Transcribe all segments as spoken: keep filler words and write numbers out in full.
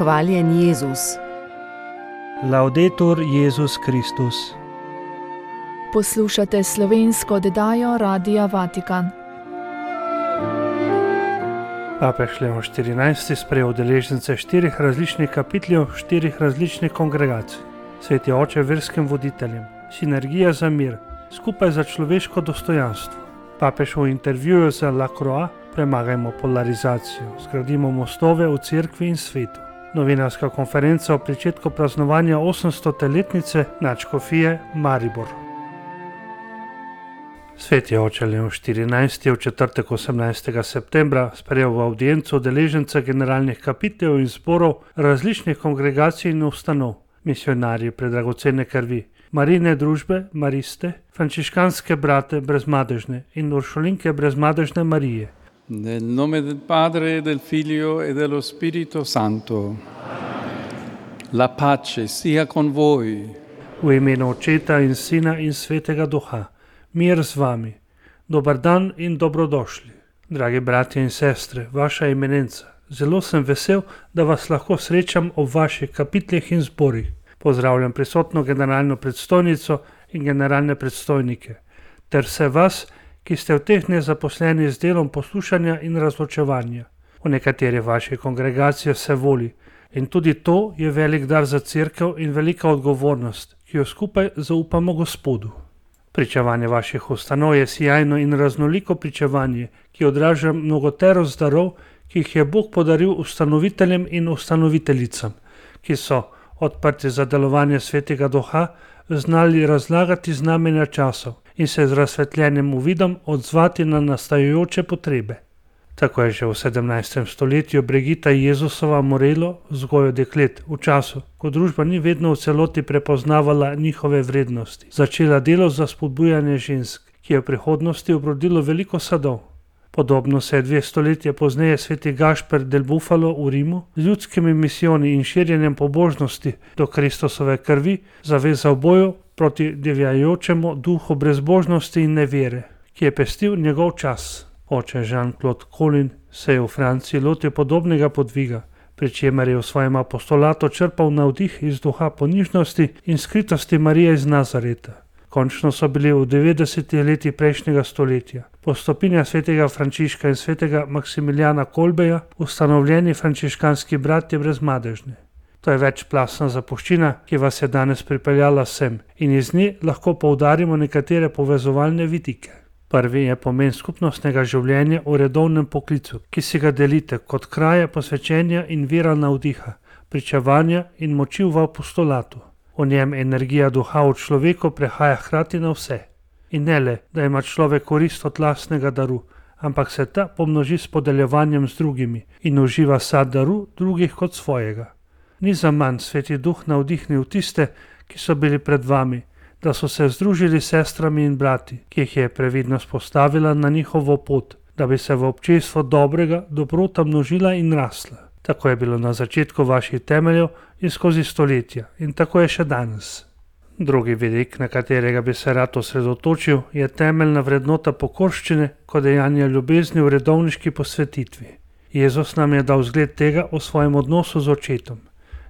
Hvaljen Jezus. Laudetur Jezus Kristus. Poslušate slovensko oddajo Radia Vatikan. Papež Leon štirinajsti sprejel udeležence štirih različnih kapitljev, štirih različnih kongregacij. Sveti oče verskim voditeljem, sinergija za mir, skupaj za človeško dostojanstvo. Papež v intervjuju za La Croix: premagajmo polarizacijo, zgradimo mostove v cerkvi in svetu. Novinarska konferenca o pričetku praznovanja osemstote letnice nadškofije Maribor. Sveti oče Leon štirinajsti je v četrtek osemnajstega septembra sprejel v avdienco udeležence generalnih kapiteljev in zborov različnih kongregacij in ustanov, misionarji predragocene krvi, Marijine družbe, Mariste, frančiškanske brate brezmadežne in uršulinke brezmadežne Marije. Nel nome del Padre, del Figlio e dello Spirito Santo. La pace sia con voi. V imenu Očeta in Sina in Svetega Duha. Mir z vami. Dobar dan in dobrodošli. Dragi bratje in sestre, vaša eminenca, zelo sem vesel, da vas lahko srečam ob vaših kapitljih in zborih. Pozdravljam prisotno generalno predstojnico in generalne predstojnike, ter vse vas, ki ste v teh dneh zaposleni z delom poslušanja in razločevanja. V nekateri vaših kongregacijah se voli in tudi to je velik dar za cerkev in velika odgovornost, ki jo skupaj zaupamo Gospodu. Pričevanje vaših ustanov je sijajno in raznoliko pričevanje, ki odraža mnogoterost darov, ki jih je Bog podaril ustanoviteljem in ustanoviteljicam, ki so, odprti za delovanje Svetega Duha, znali razlagati znamenja časov in se z razsvetljenim uvidom odzvati na nastajajoče potrebe. Tako je že v sedemnajstem stoletju Brigita Jezusova Morelo, vzgojo deklet, v času, ko družba ni vedno v celoti prepoznavala njihove vrednosti, začela delo za spodbujanje žensk, ki je v prihodnosti obrodilo veliko sadov. Podobno se je dve stoletja pozneje sveti Gašper del Bufalo v Rimu z ljudskimi misijoni in širjenjem pobožnosti do Kristusove krvi zavezal boju proti divjajočemu duhu brezbožnosti in nevere, ki je pestil njegov čas. Oče Jean-Claude Colin se je v Franciji lotil podobnega podviga, pri čemer je v svojem apostolatu črpal navdih iz duha ponižnosti in skritosti Marije iz Nazareta. Končno so bili v devetdesetih letih prejšnjega stoletja po stopinjah svetega Frančiška in svetega Maksimilijana Kolbeja ustanovljeni frančiškanski bratje brezmadežne. To je večplastna zapuščina, ki vas je danes pripeljala sem in iz nje lahko poudarimo nekatere povezovalne vidike. Prvi je pomen skupnostnega življenja v redovnem poklicu, ki si ga delite kot kraje posvečenja in vira navdiha, pričevanja in moči v apostolatu. V njem energija duha v človeku prehaja hkrati na vse. In ne le, da ima človek korist od lastnega daru, ampak se ta pomnoži s podeljevanjem z drugimi in uživa sad daru drugih kot svojega. Ni zaman sveti duh navdihnil tiste, ki so bili pred vami, da so se združili s sestrami in brati, ki jih je previdnost postavila na njihovo pot, da bi se v občestvo dobrega dobrota množila in rasla. Tako je bilo na začetku vaših temeljev in skozi stoletja in tako je še danes. Drugi vidik, na katerega bi se rad osredotočil, je temeljna vrednota pokorščine kot dejanja ljubezni v redovniški posvetitvi. Jezus nam je dal zgled tega v svojem odnosu z Očetom.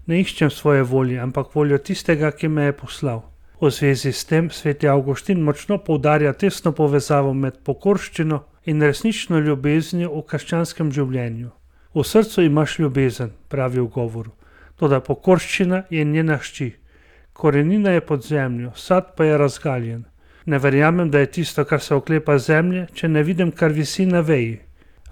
Ne iščem svoje volje, ampak voljo tistega, ki me je poslal. V zvezi s tem sveti Avguštin močno poudarja tesno povezavo med pokorščino in resnično ljubeznijo v krščanskem življenju. V srcu imaš ljubezen, pravi v govoru, toda pokorščina je njena hči. Korenina je pod zemljo, sad pa je razgaljen. Ne verjamem, da je tisto, kar se oklepa zemlje, če ne vidim, kar visi na veji.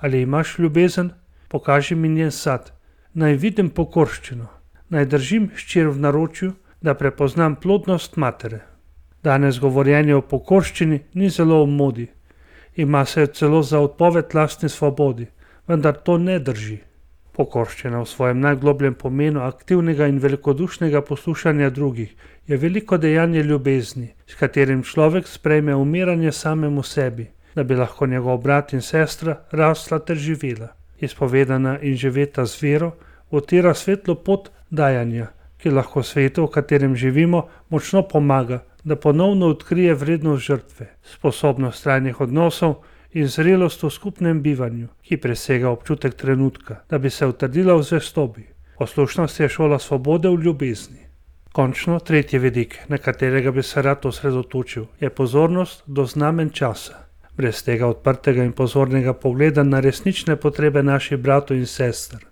Ali imaš ljubezen? Pokaži mi njen sad. Naj vidim pokorščino. Naj držim hčer v naročju, da prepoznam plodnost matere. Danes govorjenje o pokorščini ni zelo v modi. Ima se celo za odpoved lastni svobodi, vendar to ne drži. Pokorščina v svojem najglobljem pomenu aktivnega in velikodušnega poslušanja drugih je veliko dejanje ljubezni, s katerim človek sprejme umiranje samemu sebi, da bi lahko njegov brat in sestra rasla ter živela. Izpovedana in živeta z vero utira svetlo pot dajanja, ki lahko svetu, v katerem živimo, močno pomaga, da ponovno odkrije vrednost žrtve, sposobnost trajnih odnosov in zrelost v skupnem bivanju, ki presega občutek trenutka, da bi se utrdila v zvestobi. Poslušnost je šola svobode v ljubezni. Končno, tretji vidik, na katerega bi se rad osredotočil, je pozornost do znamen časa. Brez tega odprtega in pozornega pogleda na resnične potrebe naših bratov in sester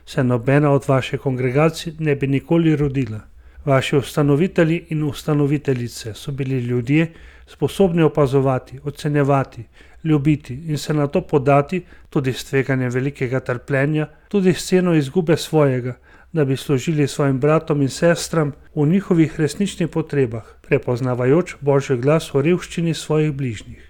se nobena od vaših kongregacij ne bi nikoli rodila. Vaši ustanovitelji in ustanoviteljice so bili ljudje, sposobni opazovati, ocenjevati, ljubiti in se na to podati tudi s tveganjem velikega trpljenja, tudi s ceno izgube svojega, da bi služili svojim bratom in sestram v njihovih resničnih potrebah, prepoznavajoč Božji glas o revščini svojih bližnjih.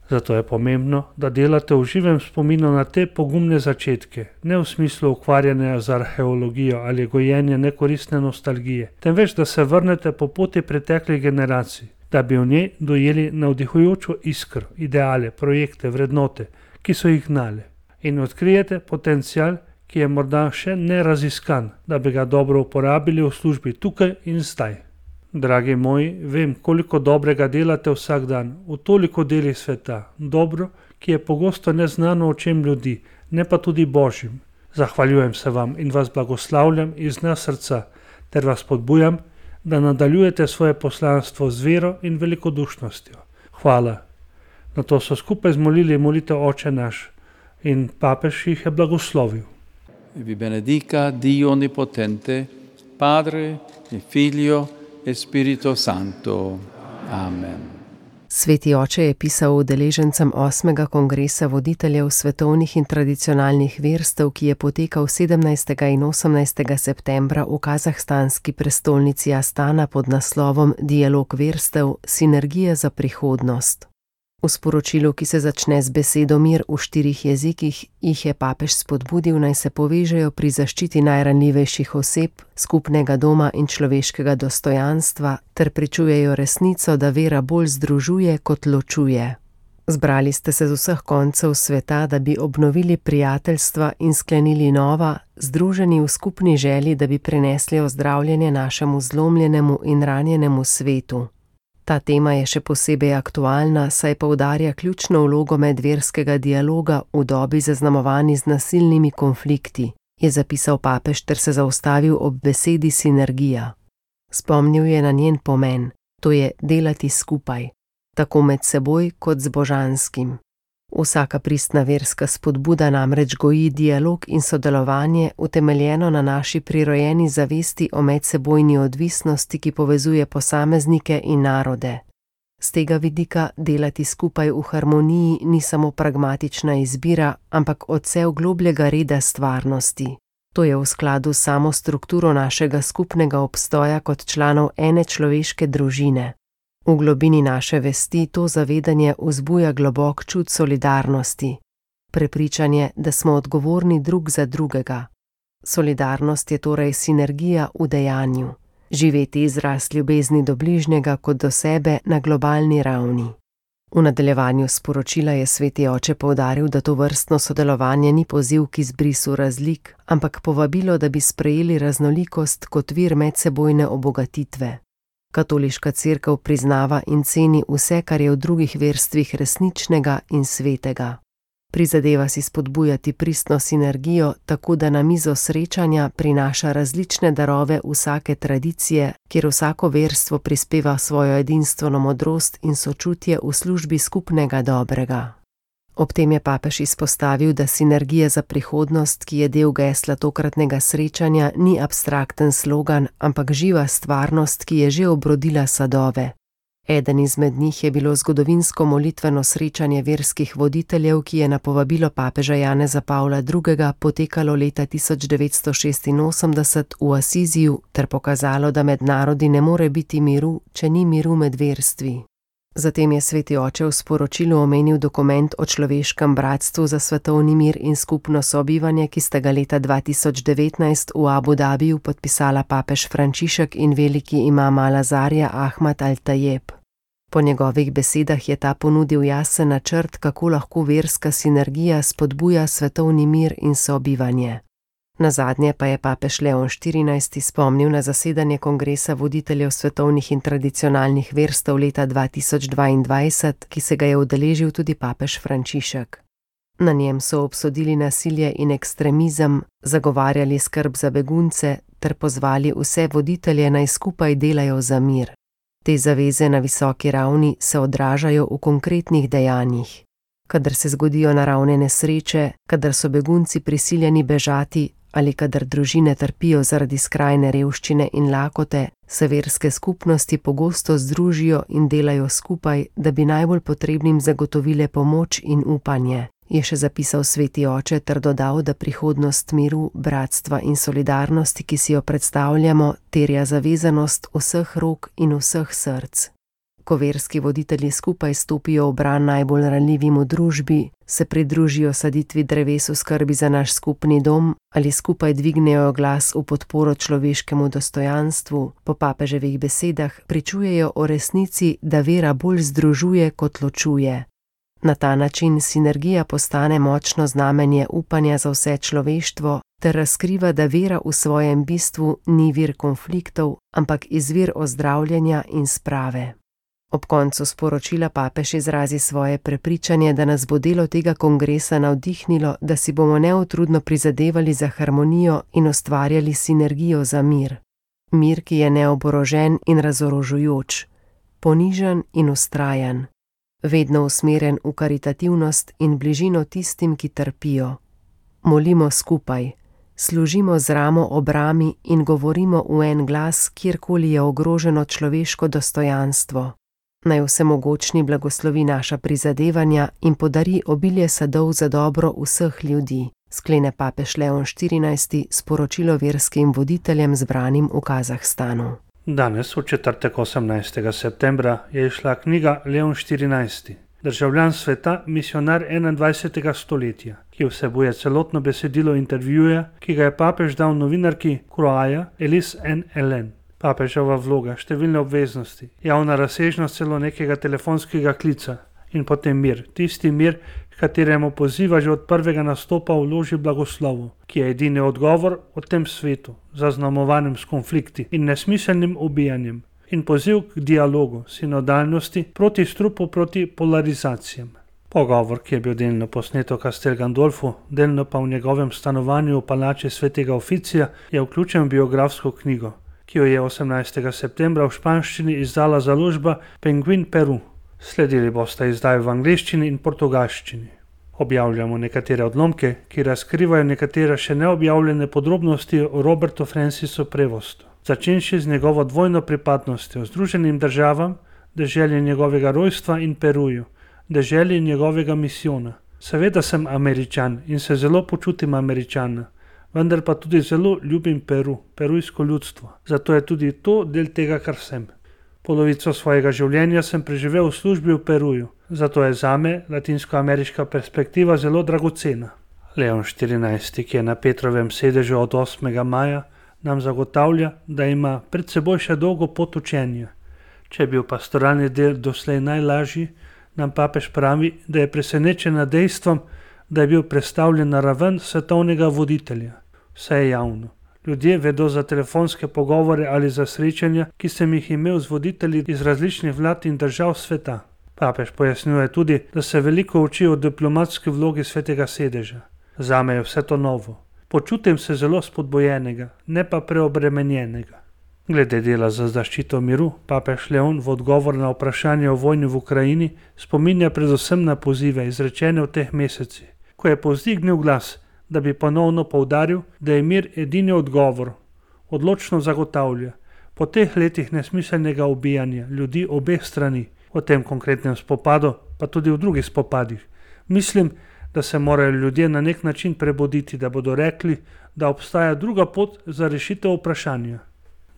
Zato je pomembno, da delate v živem spominu na te pogumne začetke, ne v smislu ukvarjanja z arheologijo ali gojenja nekoristne nostalgije, temveč da se vrnete po poti preteklih generacij, da bi v njej dojeli navdihujočo iskro, ideale, projekte, vrednote, ki so jih gnale, in odkrijete potencial, ki je morda še neraziskan, da bi ga dobro uporabili v službi tukaj in zdaj. Dragi moji, vem, koliko dobrega delate vsak dan, v toliko delih sveta, dobro, ki je pogosto neznano očem ljudi, ne pa tudi Božjim. Zahvaljujem se vam in vas blagoslavljam iz dna srca, ter vas podbujam, da nadaljujete svoje poslanstvo z vero in velikodušnostjo. Hvala. Na to so skupaj zmolili molitev Oče naš in papež jih je blagoslovil. Vi benedica Dio Onnipotente, Padre e Figlio e Spirito Santo. Amen. Sveti oče je pisal udeležencem osmega kongresa voditeljev svetovnih in tradicionalnih verstev, ki je potekal sedemnajstega in osemnajstega septembra v kazahstanski prestolnici Astana pod naslovom Dialog verstev – sinergija za prihodnost. V sporočilu, ki se začne z besedo mir v štirih jezikih, jih je papež spodbudil, naj se povežejo pri zaščiti najranljivejših oseb, skupnega doma in človeškega dostojanstva, ter pričujejo resnico, da vera bolj združuje kot ločuje. Zbrali ste se z vseh koncev sveta, da bi obnovili prijateljstva in sklenili nova, združeni v skupni želji, da bi prinesli ozdravljenje našemu zlomljenemu in ranjenemu svetu. Ta tema je še posebej aktualna, saj poudarja ključno vlogo medverskega dialoga v dobi zaznamovani z nasilnimi konflikti, je zapisal papež ter se zaustavil ob besedi sinergija. Spomnil je na njen pomen, to je delati skupaj, tako med seboj kot z božanskim. Vsaka pristna verska spodbuda namreč goji dialog in sodelovanje, utemeljeno na naši prirojeni zavesti o medsebojni odvisnosti, ki povezuje posameznike in narode. Z tega vidika delati skupaj v harmoniji ni samo pragmatična izbira, ampak odsev globljega reda stvarnosti. To je v skladu s samo strukturo našega skupnega obstoja kot članov ene človeške družine. V globini naše vesti to zavedanje vzbuja globok čut solidarnosti, prepričanje, da smo odgovorni drug za drugega. Solidarnost je torej sinergija v dejanju, živeti izraz ljubezni do bližnjega kot do sebe na globalni ravni. V nadaljevanju sporočila je sveti oče poudaril, da to vrstno sodelovanje ni poziv k izbrisu razlik, ampak povabilo, da bi sprejeli raznolikost kot vir medsebojne obogatitve. Katoliška cerkev priznava in ceni vse, kar je v drugih verstvih resničnega in svetega. Prizadeva si spodbujati pristno sinergijo, tako da na mizo srečanja prinaša različne darove vsake tradicije, kjer vsako verstvo prispeva svojo edinstveno modrost in sočutje v službi skupnega dobrega. Ob tem je papež izpostavil, da sinergija za prihodnost, ki je del gesla tokratnega srečanja, ni abstrakten slogan, ampak živa stvarnost, ki je že obrodila sadove. Eden izmed njih je bilo zgodovinsko molitveno srečanje verskih voditeljev, ki je na povabilo papeža Janeza Pavla drugega potekalo leta tisoč devetsto šestinosemdeset v Asiziju ter pokazalo, da med narodi ne more biti miru, če ni miru med verstvi. Zatem je sveti oče v sporočilu omenil dokument o človeškem bratstvu za svetovni mir in skupno sobivanje, ki sta ga leta dva tisoč devetnajst v Abu Dabiju podpisala papež Frančišek in veliki imam Al-Azarja Ahmad Al-Tajeb. Po njegovih besedah je ta ponudil jasen načrt, kako lahko verska sinergija spodbuja svetovni mir in sobivanje. Nazadnje pa je papež Leon štirinajsti spomnil na zasedanje kongresa voditeljev svetovnih in tradicionalnih verstev leta dva tisoč dvaindvajset, ki se ga je udeležil tudi papež Frančišek. Na njem so obsodili nasilje in ekstremizem, zagovarjali skrb za begunce ter pozvali vse voditelje naj skupaj delajo za mir. Te zaveze na visoki ravni se odražajo v konkretnih dejanjih. Kadar se zgodijo naravne nesreče, kadar so begunci prisiljeni bežati ali kadar družine trpijo zaradi skrajne revščine in lakote, se verske skupnosti pogosto združijo in delajo skupaj, da bi najbolj potrebnim zagotovile pomoč in upanje, je še zapisal sveti oče ter dodal, da prihodnost miru, bratstva in solidarnosti, ki si jo predstavljamo, terja zavezanost vseh rok in vseh src. Ko verski voditelji skupaj stopijo v bran najbolj ranljivim v družbi, se pridružijo saditvi dreves v skrbi za naš skupni dom ali skupaj dvignejo glas v podporo človeškemu dostojanstvu, po papeževih besedah pričujejo o resnici, da vera bolj združuje kot ločuje. Na ta način sinergija postane močno znamenje upanja za vse človeštvo ter razkriva, da vera v svojem bistvu ni vir konfliktov, ampak izvir ozdravljanja in sprave. Ob koncu sporočila papež izrazi svoje prepričanje, da nas bo delo tega kongresa navdihnilo, da si bomo neutrudno prizadevali za harmonijo in ustvarjali sinergijo za mir. Mir, ki je neoborožen in razorožujoč, ponižen in vztrajan, vedno usmerjen v karitativnost in bližino tistim, ki trpijo. Molimo skupaj, služimo z ramo ob rami in govorimo v en glas, kjerkoli je ogroženo človeško dostojanstvo. Naj vsemogočni blagoslovi naša prizadevanja in podari obilje sadov za dobro vseh ljudi, sklene papež Leon štirinajsti sporočilo verskim voditeljem zbranim v Kazahstanu. Danes, v četrtek osemnajstega septembra, je izšla knjiga Leon štirinajsti, državljan sveta, misionar enaindvajsetega stoletja, ki vsebuje celotno besedilo intervjuja, ki ga je papež dal novinarki Croaja Elis N. Ellen. Papeževa vloga, številne obveznosti, javna razsežnost celo nekega telefonskega klica in potem mir, tisti mir, kateremu poziva že od prvega nastopa v loži blagoslovu, ki je edini odgovor v tem svetu, zaznamovanem s konflikti in nesmiselnim ubijanjem, in poziv k dialogu, sinodalnosti, proti strupu, proti polarizacijam. Pogovor, ki je bil delno posnet v Castel Gandolfu, delno pa v njegovem stanovanju v palači svetega Oficija, je vključen v biografsko knjigo, ki jo je osemnajstega septembra v španščini izdala založba Penguin Peru. Sledili bosta izdaji v angleščini in portugalščini. Objavljamo nekatere odlomke, ki razkrivajo nekatere še neobjavljene podrobnosti o Robertu Francisu Prevostu, začenši z njegovo dvojno pripadnostjo Združenim državam, deželi njegovega rojstva in Peruju, deželi njegovega misijona. Seveda sem Američan in se zelo počutim Američana, vendar pa tudi zelo ljubim Peru, perujsko ljudstvo. Zato je tudi to del tega, kar sem. Polovico svojega življenja sem preživel v službi v Peruju, zato je zame latinskoameriška perspektiva zelo dragocena. Leon štirinajsti, ki je na Petrovem sedežu od osmega maja, nam zagotavlja, da ima pred seboj še dolgo pot učenja. Če je bil pastoralni del doslej najlažji, nam papež pravi, da je presenečen nad dejstvom, da je bil prestavljen na raven svetovnega voditelja. Vse je javno. Ljudje vedo za telefonske pogovore ali za srečanja, ki sem jih imel z voditelji iz različnih vlad in držav sveta. Papež pojasnjuje tudi, da se veliko uči o diplomatski vlogi svetega sedeža. Zame je vse to novo. Počutim se zelo spodbojenega, ne pa preobremenjenega. Glede dela za zaščito miru, papež Leon v odgovor na vprašanje o vojni v Ukrajini spominja predvsem na pozive izrečene v teh mesecih, ko je povzdignil glas, da bi ponovno poudaril, da je mir edini odgovor, odločno zagotavlja, po teh letih nesmiselnega ubijanja ljudi obeh strani, v tem konkretnem spopadu, pa tudi v drugih spopadih. Mislim, da se morajo ljudje na nek način prebuditi, da bodo rekli, da obstaja druga pot za rešitev vprašanja.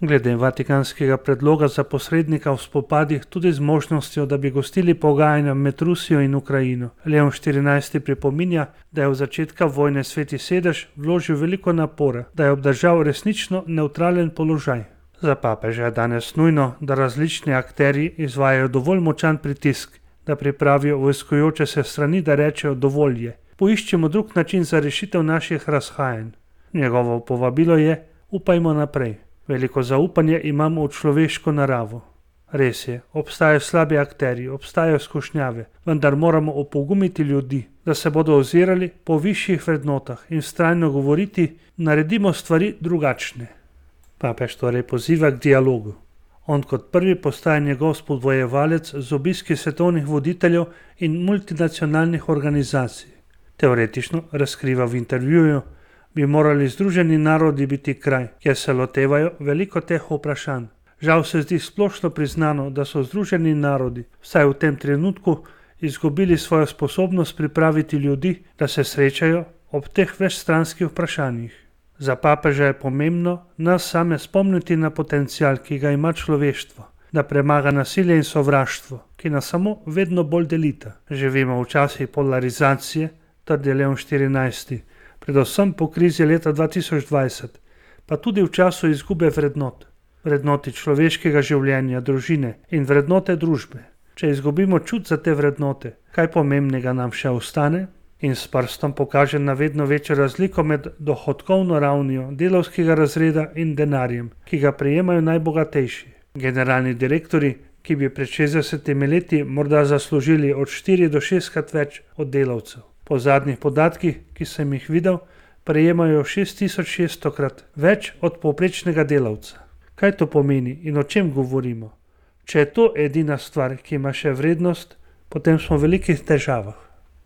Glede vatikanskega predloga za posrednika v spopadih tudi z možnostjo, da bi gostili pogajanja med Rusijo in Ukrajino, Leon štirinajsti pripominja, da je v začetka vojne sveti sedež vložil veliko napora, da je obdržal resnično nevtralen položaj. Za papeža je danes nujno, da različni akterji izvajajo dovolj močan pritisk, da pripravijo vojskujoče se strani, da rečejo dovolj je. Poiščemo drug način za rešitev naših razhajanj. Njegovo povabilo je: upajmo naprej. Veliko zaupanje imamo v človeško naravo. Res je, obstajajo slabi akterji, obstajajo skušnjave, vendar moramo opogumiti ljudi, da se bodo ozirali po višjih vrednotah in vztrajno govoriti, naredimo stvari drugačne. Papež torej poziva k dialogu. On kot prvi postaja njegov spodbojevalec z obiski svetovnih voditeljev in multinacionalnih organizacij. Teoretično, razkriva v intervjuju, bi morali Združeni narodi biti kraj, kjer se lotevajo veliko teh vprašanj. Žal se zdi splošno priznano, da so Združeni narodi, vsaj v tem trenutku, izgubili svojo sposobnost pripraviti ljudi, da se srečajo ob teh večstranskih vprašanjih. Za papeža je pomembno nas same spomniti na potencial, ki ga ima človeštvo, da premaga nasilje in sovraštvo, ki nas samo vedno bolj delita. Živimo v časih polarizacije, trdi Leon štirinajsti, predvsem po krizi leta dva tisoč dvajset, pa tudi v času izgube vrednot. Vrednoti človeškega življenja, družine in vrednote družbe. Če izgubimo čut za te vrednote, kaj pomembnega nam še ostane? In s prstom pokaže na vedno večjo razliko med dohodkovno ravnijo delavskega razreda in denarjem, ki ga prejemajo najbogatejši. Generalni direktori, ki bi pred šestdesetimi leti morda zaslužili od štiri do šestkrat več od delavcev. Po zadnjih podatkih, ki sem jih videl, prejemajo šest tisoč šeststokrat več od povprečnega delavca. Kaj to pomeni in o čem govorimo? Če je to edina stvar, ki ima še vrednost, potem smo v velikih težavah.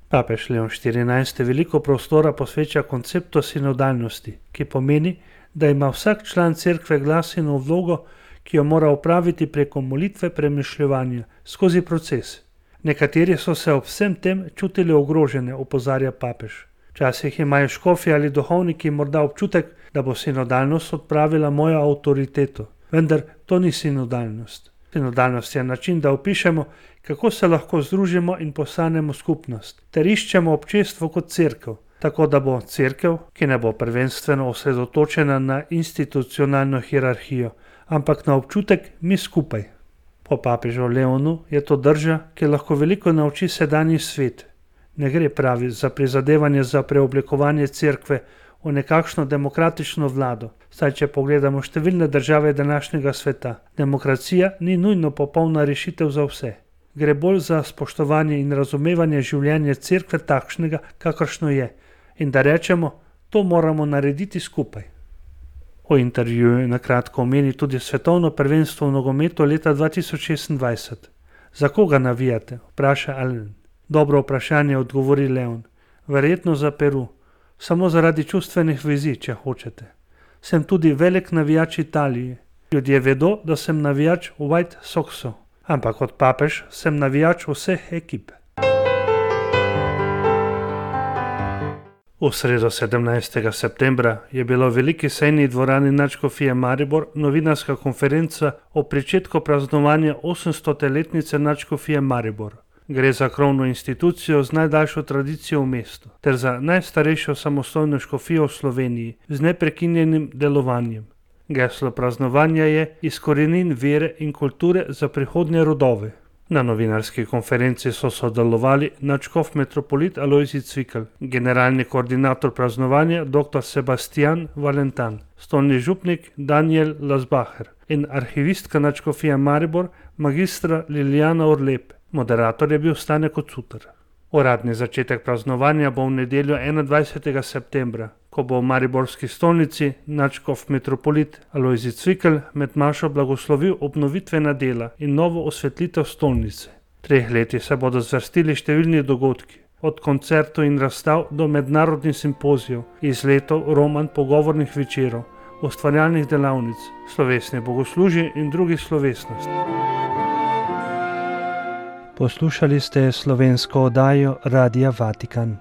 Papež Leon štirinajsti veliko prostora posveča konceptu sinodalnosti, ki pomeni, da ima vsak član cerkve glas in vlogo, ki jo mora opraviti preko molitve premišljevanja skozi proces. Nekateri so se ob vsem tem čutili ogrožene, opozarja papež. Včasih imajo škofi ali duhovniki morda občutek, da bo sinodalnost odpravila mojo avtoriteto, vendar to ni sinodalnost. Sinodalnost je način, da opišemo, kako se lahko združimo in postanemo skupnost, ter iščemo občestvo kot cerkev, tako da bo cerkev, ki ne bo prvenstveno osredotočena na institucionalno hierarhijo, ampak na občutek mi skupaj. Po papežu Leonu je to drža, ki lahko veliko nauči sedanji svet. Ne gre, pravi, za prizadevanje za preoblikovanje cerkve v nekakšno demokratično vlado, saj če pogledamo številne države današnjega sveta, demokracija ni nujno popolna rešitev za vse. Gre bolj za spoštovanje in razumevanje življenja cerkve takšnega, kakršno je, in da rečemo, to moramo narediti skupaj. V intervjuju na kratko omeni tudi svetovno prvenstvo v nogometu leta dva tisoč šestindvajset. Za koga navijate? Vpraša Allen. Dobro vprašanje, odgovori Leon. Verjetno za Peru. Samo zaradi čustvenih vezi, če hočete. Sem tudi velik navijač Italije. Ljudje vedo, da sem navijač White Soxov, ampak kot papež sem navijač vseh ekip. V sredo sedemnajstega septembra je bila v veliki sejni dvorani Nadškofije Maribor novinarska konferenca o pričetku praznovanja osemstoletnice Nadškofije Maribor. Gre za krovno institucijo z najdaljšo tradicijo v mestu, ter za najstarejšo samostojno škofijo v Sloveniji z neprekinjenim delovanjem. Geslo praznovanja je iz korenin vere in kulture za prihodnje rodove. Na novinarski konferenci so sodelovali nadškof metropolit Alojzij Cvikl, generalni koordinator praznovanja dr. Sebastian Valentan, stolni župnik Daniel Lasbacher in arhivistka Nadškofije Maribor magistra Liljana Orlep. Moderator je bil Stane Kocutar. Uradni začetek praznovanja bo v nedeljo enaindvajsetega septembra, ko bo v mariborski stolnici nadškof metropolit Alojzij Cvikl med mašo blagoslovil obnovitvena dela in novo osvetlitev stolnice. Treh leti se bodo zvrstili številni dogodki, od koncertov in razstav do mednarodnih simpozijev, izletov, roman, pogovornih večerov, ustvarjalnih delavnic, slovesnih bogoslužij in drugih slovesnosti. Poslušali ste slovensko oddajo Radia Vatikan.